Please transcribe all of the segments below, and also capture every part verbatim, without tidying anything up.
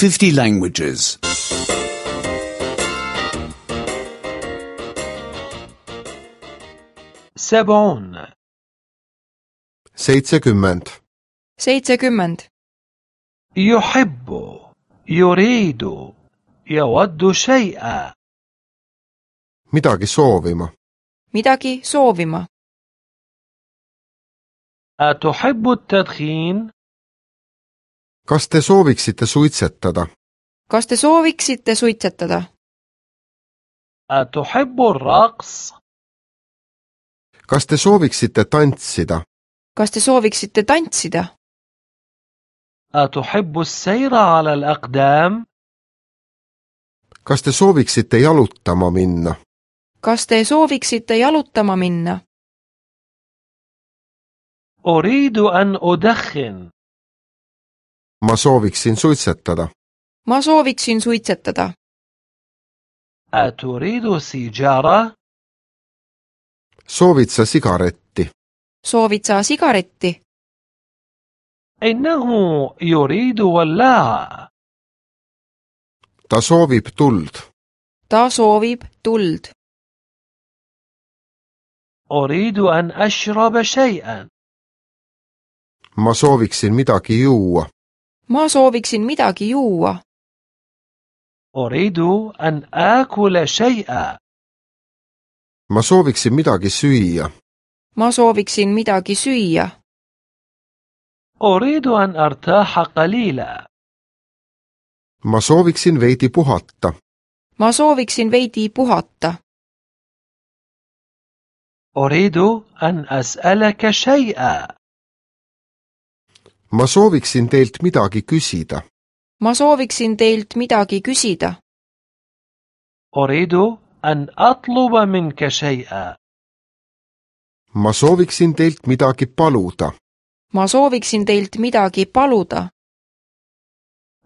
fifty languages. سبعون seitsekümmend, seitsekümmend, يحب يريد يود شيئا midagi soovima. midagi soovima. أتحب التدخين؟ kas te sooviksite suitsetada? kas te sooviksite suitsetada? أتحب الرقص؟ kas te sooviksite tantsida? kas te sooviksite tantsida? أتحب السير على الأقدام؟ kas te sooviksite jalutama minna? kas te sooviksite jalutama minna? أريد أن أدخن. ma sooviksin suitsetada. ma sooviksin suitsetada. أتريد سيجارة؟ soovid sa sigaretti? soovid sa sigaretti? إنه يريد ولاعة. ta soovib tuld. ta soovib tuld. أريد أن أشرب شيئا. ma sooviksin midagi juua. ma sooviksin midagi juua. أريد أن آكل شيئا. ma sooviksin midagi süüa. ma sooviksin midagi süüa. أريد أن أرتاح قليلا. ma sooviksin veidi puhata. ma sooviksin veidi puhata. أريد أن أسألك شيئا. ma sooviksin teilt midagi küsida. ma sooviksin teilt midagi küsida. أريد أن أطلب منك شيئا. ma sooviksin teilt midagi paluda. ma sooviksin teilt midagi paluda.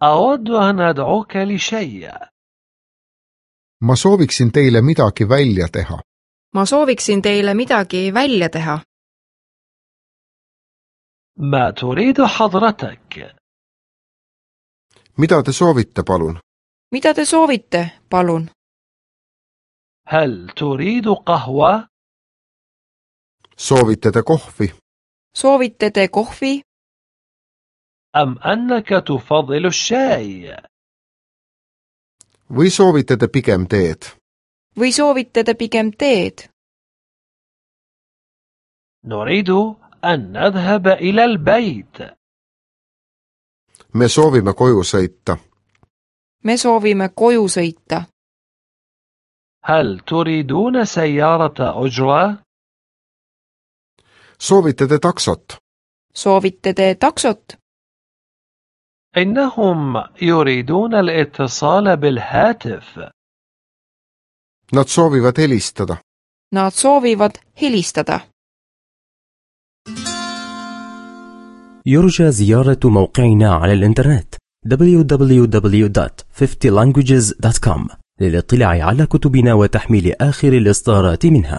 أود أن أدعوك لشيء. ma sooviksin teile midagi välja teha. ma sooviksin teile midagi välja teha. ما تريد حضرتك؟ mida te soovite, palun? mida te soovite, palun? هل تريد قهوة؟ soovite te kohvi? soovite te kohvi? أم أنك تفضل الشاي؟ või soovite te pigem teed? või soovite te pigem teed? نريد أن نذهب إلى البيت. me soovime koju sõita. me soovime koju sõita. هل تريدون سيارة أجرة؟ soovite te taksot? soovite te taksot? إنهم يريدون الاتصال بالهاتف. nad soovivad helistada. nad soovivad helistada. يرجى زيارة موقعنا على الإنترنت دبليو دبليو دبليو دوت fifty languages دوت كوم للاطلاع على كتبنا وتحميل آخر الإصدارات منها.